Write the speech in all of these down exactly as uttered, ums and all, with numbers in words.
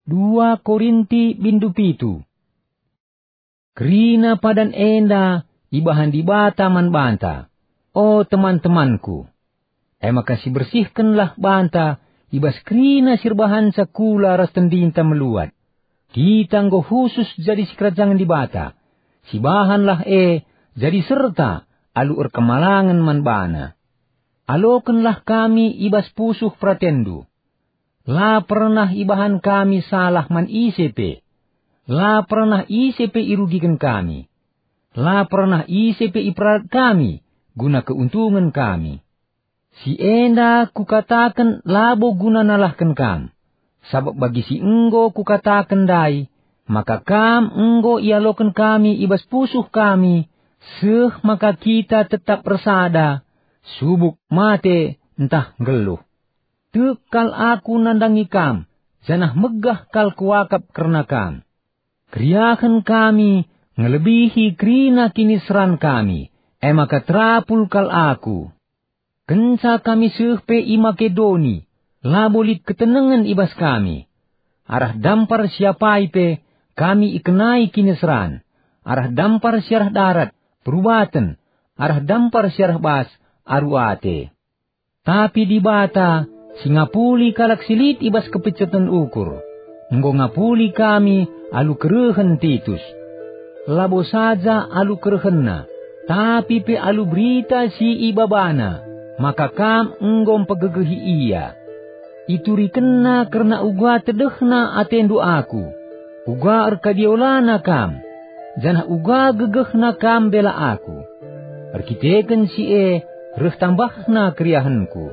Dua Korinti bindu pitu. Kerina padan enda ibahan Dibata man banta, o teman-temanku. E maka sibersihkenlah banta i bas kerina si erbahanca kula ras tendinta meluat. Kita enggo khusus jadi sikerajangen Dibata. Sibahanlah e jadi serta alu erkemalangen man baNa. Alokenlah kami i bas pusuh peratenndu. La pernah ibahan kami salah man ise pe. La pernah ise pe irugiken kami. La pernah ise pe iperalat kami guna keuntungen kami. Si enda kukataken labo guna nalahken kam, sabap bagi si enggo kukataken ndai, maka kam enggo ialoken kami i bas pusuh kami, seh maka kita tetap ersada, subuk mate ntah nggeluh. Tek kal aku nandangi kam, janah megah kal kuakap kerna kam. Keriahen kami ngelebihi kerina kiniseran kami, e maka terapul kal aku. Kenca kami seh pe i Makedoni, labo lit ketenengen i bas kami. Arah dampar si apai pe kami ikenai kiniseran, arah dampar si arah darat, perubaten, arah dampar si arah bas, aru ate. Tapi Dibata, si ngapuli kalak si lit i bas kepiceten ukur, enggo ngapuli kami alu kerehen Titus. Labo saja alu kerehenna, tapi pe alu berita si ibabana, maka kam enggo mpegegehi ia. Iturikenna kerna uga tedehna atendu aku, uga erkadiolana kam, janah uga gegehna kam mbela aku. Erkiteken si e reh tambahna keriahenku.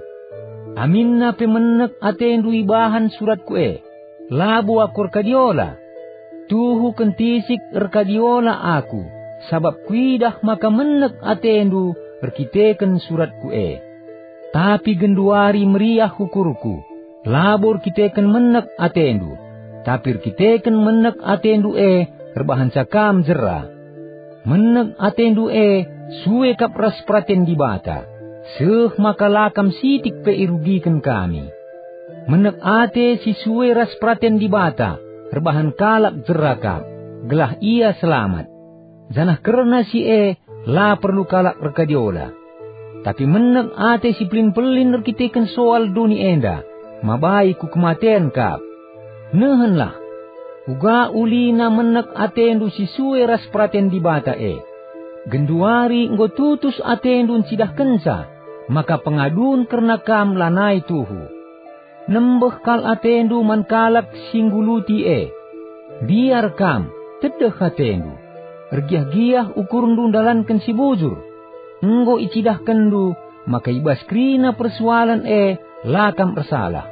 Aminna pe menek atendu ibahan suratku e, labo aku erkadiola. Tuhu kentisik erkadiola aku, sabap kuidah maka menek atendu erkiteken suratku e. Tapi genduari meriah ukurku, labo erkiteken menek atendu, tapi erkiteken menek atendu e erbahanca kam jera. Menek atendu e sue kap ras peraten Dibata, seh maka la kam sitik pe irugiken kami. Menek ate si sue ras peraten Dibata erbahan kalak jera kap, gelah ia selamat. Janah kerna si e la perlu kalak erkadiola. Tapi menek ate si pelin-pelin erkiteken soal doni enda mabai ku kematen kap. Nehenlah, uga ulina menek atendu si sue ras peraten Dibata e. Genduari enggo tutus atendu ncidahkenca maka pengadun kerna kam lanai tuhu. Nembeh kal atendu man kalak si ngguluti e. Mbiar kam, tedeh atendu. Ergiah-giah ukurndu ndalanken si bujur. Enggo icidahkenndu maka i bas kerina persoalen e la kam ersalah.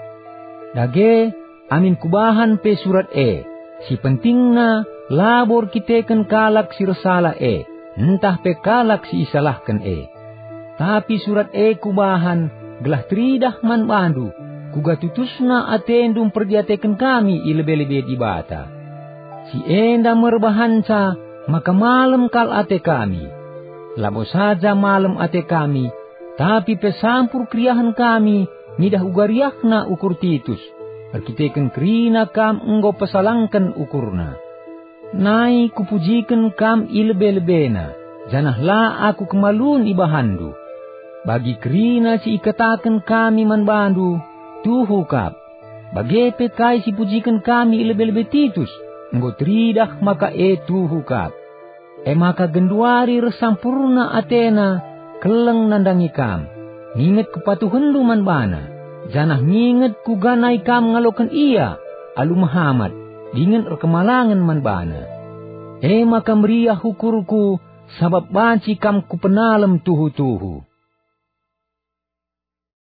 Dage, amin kubahan pe surat e, si pentingna labo erkiteken kalak si ersalah e, ntah pe kalak si isalahken e. Tapi surat e kubahan gelah teridah man bandu, kuga tutusna atendu mperdiateken kami i lebe-lebe Dibata. Si enda me erbahanca maka malem kal ate kami. Labo saja malem ate kami, tapi pe sampur keriahen kami ngidah uga riahna ukur Titus, erkiteken kerina kam enggo pesalangken ukurna. Nai kupujiken kam i lebe-lebena, janah la aku kemalun ibahanndu. Bagi kerina si ikataken kami man bandu, tuhu kap. Bage pe kai si pujiken kami i lebe-lebe Titus, enggo teridah maka e tuhu kap. E maka genduari reh sampurna atena keleng nandangi kam, nginget kepatuhenndu man bana, janah nginget kuga nai kam ngaloken ia alu mehamat dingen erkemalangen man bana. E maka meriah ukurku, sabap banci kam kupenalem tuhu-tuhu.